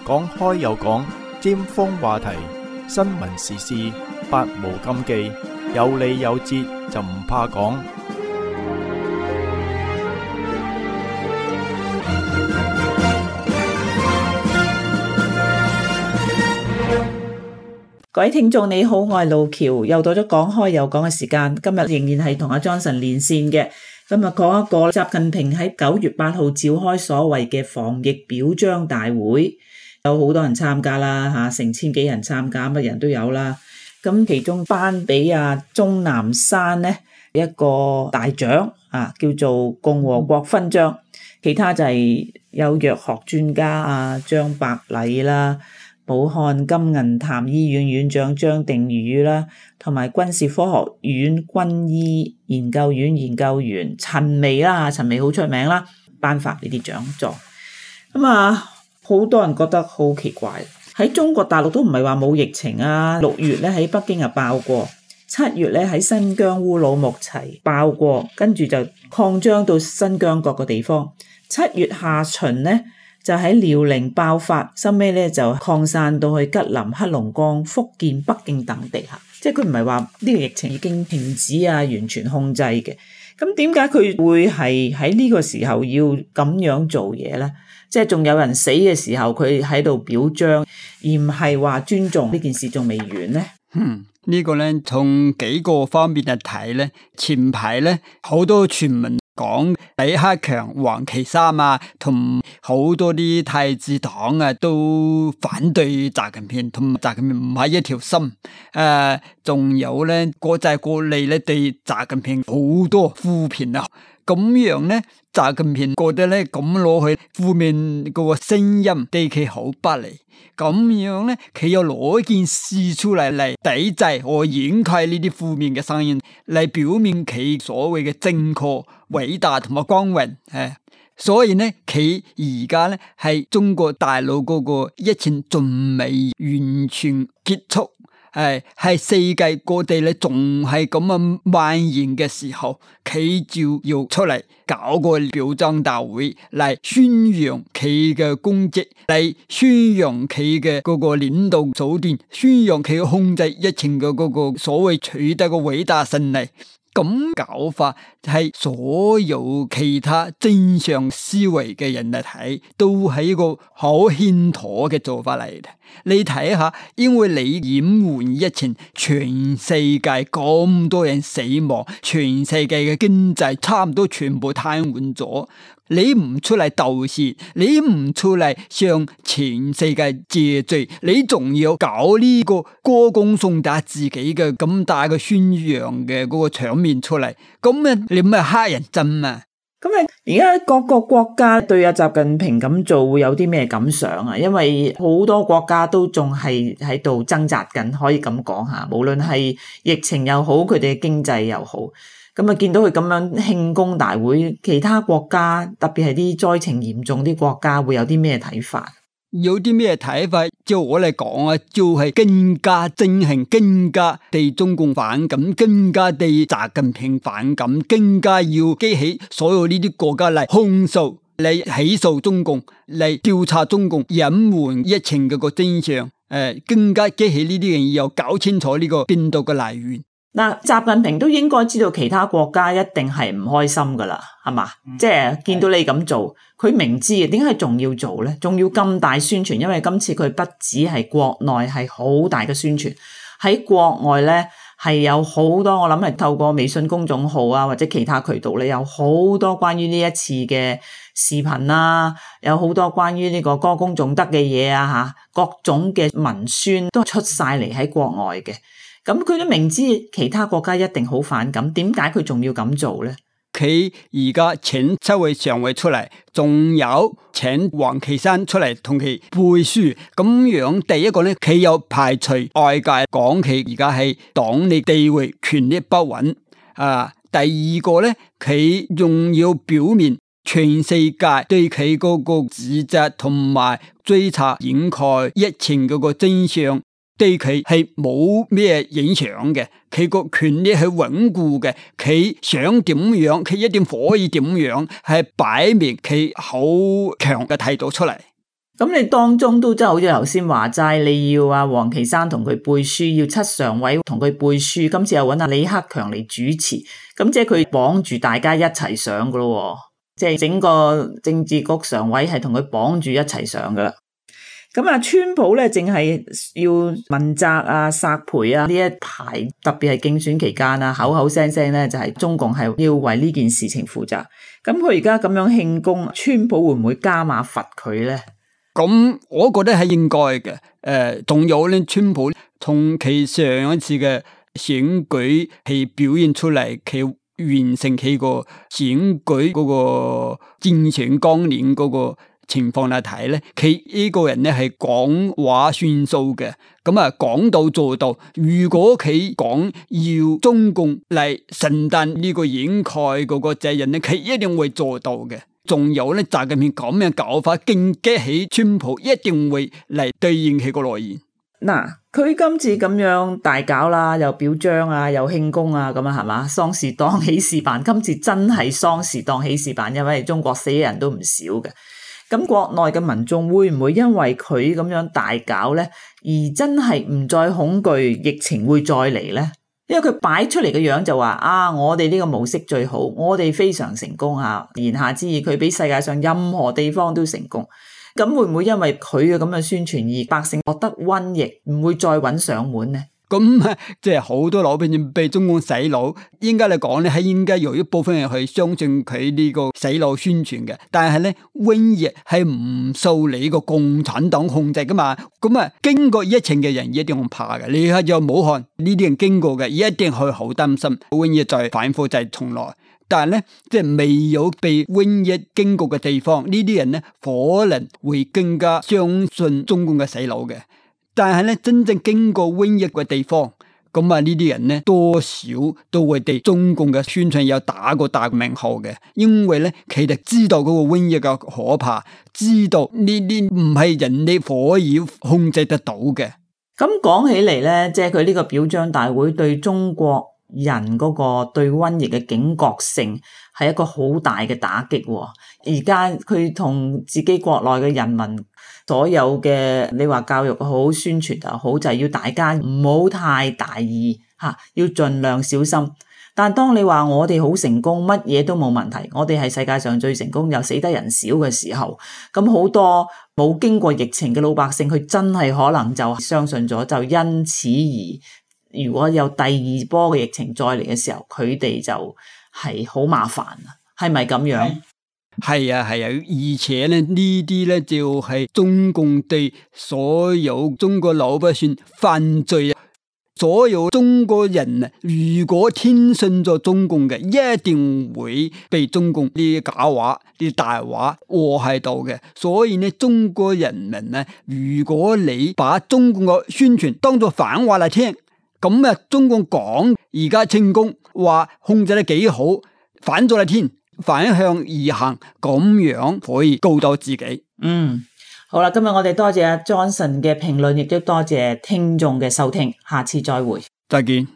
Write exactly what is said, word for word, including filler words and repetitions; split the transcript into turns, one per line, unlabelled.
講開又講，尖鋒話題，新聞時事，百無禁忌，有理有節就唔怕講。
各位聽眾你好，我係路橋，又到咗講開又講嘅時間。今日仍然係同阿 Johnson 連線嘅。今日講一個習近平喺九月八號召開所謂嘅防疫表彰大會，有好多人參加啦，吓成千幾人參加，乜人都有啦。咁其中頒俾阿鍾南山咧一個大獎啊，叫做共和國勳章。其他就係有藥學專家啊張伯禮啦，武漢金銀潭醫院院長張定宇啦，同埋軍事科學院軍醫研究院研究員陳薇啦，陳薇好出名啦，頒發呢啲獎狀。咁啊，好多人覺得好奇怪，喺中國大陸都唔係話冇疫情啊，六月咧喺北京啊爆過，七月咧喺新疆烏魯木齊爆過，跟住就擴張到新疆各個地方。七月下旬咧就喺遼寧爆發，收尾咧就擴散到去吉林、黑龍江、福建、北京等地下，即係佢唔係話呢個疫情已經停止啊，完全控制嘅。咁點解佢會係喺呢個時候要咁樣做嘢咧？即係仲有人死嘅時候，佢喺度表彰，而唔係話尊重呢件事仲未完咧？
嗯，呢個咧從幾個方面嚟睇咧，前排咧好多傳聞講李克強、王岐山啊，同好多啲太子黨啊都反對習近平，同習近平唔係一條心。誒、呃，仲有咧國際各地咧對習近平好多負評啊，咁樣咧習近平覺得咧咁攞去負面嗰個聲音對佢好不利，咁樣咧佢又攞件事出嚟嚟抵制或掩蓋呢啲負面嘅聲音，嚟表明佢所謂嘅正確、偉大同埋光榮。誒，所以咧佢而家咧係中國大陸嗰個疫情仲未完全結束。係係世界各地咧，仲係咁樣蔓延嘅時候，佢就要出嚟搞個表彰大會嚟宣揚佢嘅功績，嚟宣揚佢嘅嗰個領導手段，宣揚佢控制疫情嘅嗰個所謂取得嘅偉大勝利。咁搞法係所有其他正常思維嘅人嚟睇，都係一個好欠妥嘅做法嚟嘅。你睇下，因為你掩護疫情，全世界咁多人死亡，全世界嘅經濟差唔多全部癱瘓咗。你唔出嚟道歉，你唔出嚟向全世界謝罪，你仲要搞呢個歌功頌德自己嘅咁大嘅宣揚嘅嗰個場面出嚟，咁啊你咪黑人憎啊！
咁啊，而家各個國家對阿習近平咁做會有啲咩感想啊？因為好多國家都仲係喺度掙扎緊，可以咁講下，無論係疫情又好，佢哋嘅經濟又好。咁啊，見到佢咁樣慶功大會，其他國家特別係啲災情嚴重啲國家會有啲咩睇法？
有啲咩睇法？就我嚟講啊，就係更加憎恨，更加對中共反感，更加對習近平反感，更加要激起所有呢啲國家嚟控訴、嚟起訴中共、嚟調查中共隱瞞疫情嘅個真相。誒，更加激起呢啲人要搞清楚呢個病毒嘅來源。
嗱，習近平都應該知道其他國家一定係唔開心噶啦，係嘛？嗯、即係見到你咁做，佢明知嘅，點解仲要做咧？仲要咁大宣傳？因為今次佢不止係國內係好大嘅宣傳，喺國外咧係有好多，我諗係透過微信公眾號啊或者其他渠道咧，有好多關於呢一次嘅視頻啊，有好多關於呢個歌功頌德嘅嘢啊吓，各種嘅文宣都出晒嚟喺國外嘅。咁佢都明知其他國家一定好反感，點解佢仲要咁做咧？
佢而家請七位常委出嚟，仲有請王岐山出嚟同佢背書，咁樣第一個咧，佢有排除外界講佢而家係黨內地位權力不穩啊。第二個咧，佢仲要表明全世界對佢嗰個指責同埋追查掩蓋疫情嗰個真相。對佢係冇咩影響嘅，佢個權力係穩固嘅，佢想點樣，佢一定可以點樣，係擺明佢好強嘅態度出嚟。
咁你當中都真係好似頭先話齋，你要阿王岐山同佢背書，要七常委同佢背書，今次又揾阿李克強嚟主持，咁即係佢綁住大家一齊上噶咯，即係整個政治局常委係同佢綁住一齊上噶啦。咁啊，川普咧淨係要問責啊、索賠啊呢一排，特別係競選期間啊，口口聲聲咧就係中共係要為呢件事情負責。咁佢而家咁樣慶功，川普會唔會加碼罰佢咧？
咁我覺得係應該嘅。誒、呃，仲有咧，川普同佢上一次嘅選舉係表現出嚟，佢完成佢個選舉嗰個競選綱領嗰個情況嚟睇咧，佢呢個人咧係講話算數嘅。咁啊，講到做到。如果佢講要中共嚟承擔呢個掩蓋嗰個責任咧，佢一定會做到嘅。仲有咧，習近平咁樣搞法，勁激起川普一定會嚟對應佢個內言。
嗱，佢今次咁樣大搞啦，又表彰啊，又慶功啊，咁啊係嘛，喪事當喜事辦。今次真係喪事當喜事辦，因為中國死嘅人都唔少嘅。咁國內嘅民眾會唔會因為佢咁樣大搞咧，而真係唔再恐懼疫情會再嚟咧？因為佢擺出嚟嘅樣就話啊，我哋呢個模式最好，我哋非常成功啊！言下之意，佢比世界上任何地方都成功。咁會唔會因為佢嘅咁嘅宣傳而百姓覺得瘟疫唔會再揾上門呢？
咁即係好多老百姓被中共洗腦，應該嚟講咧，係應該有一部分人去相信佢呢個洗腦宣傳嘅。但係咧，瘟疫係唔受你個共產黨控制噶嘛。咁啊，經過疫情嘅人一定會怕嘅。你睇就武漢呢啲人經過嘅，一定會好擔心瘟疫再反覆再重來。但係咧，即係未有被瘟疫經過嘅地方，呢啲人咧可能會更加相信中共嘅洗腦嘅。但係咧，真正經過瘟疫嘅地方，咁啊呢啲人咧多少都會對中共嘅宣傳有打過大名號嘅，因為咧佢哋知道嗰個瘟疫嘅可怕，知道呢啲唔係人哋可以控制得到嘅。
咁講起嚟咧，即係佢呢個表彰大會對中國人嗰個對瘟疫嘅警覺性係一個好大嘅打擊。而家佢同自己國內嘅人民所有嘅，你話教育好、宣傳又好，就係要大家唔好太大意吓，要盡量小心。但當你話我哋好成功，乜嘢都冇問題，我哋係世界上最成功又死得人少嘅時候，咁好多冇經過疫情嘅老百姓，佢真係可能就相信咗，就因此而如果有第二波嘅疫情再嚟嘅時候，佢哋就係好麻煩啊，係咪咁樣？
係啊係啊，而且咧呢啲咧就係中共對所有中國老百姓犯罪啊！所有中國人啊，如果聽信咗中共嘅，一定會被中共啲假話、啲大話禍害到嘅。所以呢，中國人民呢，如果你把中共嘅宣傳當作反話嚟聽，咁啊，中共講而家成功，話控制得幾好，反咗嚟聽。反向而行，咁樣可以告到自己。
嗯，好啦，今日我哋多謝阿 Johnson 嘅評論，亦都多謝聽眾嘅收聽，下次再會，
再見。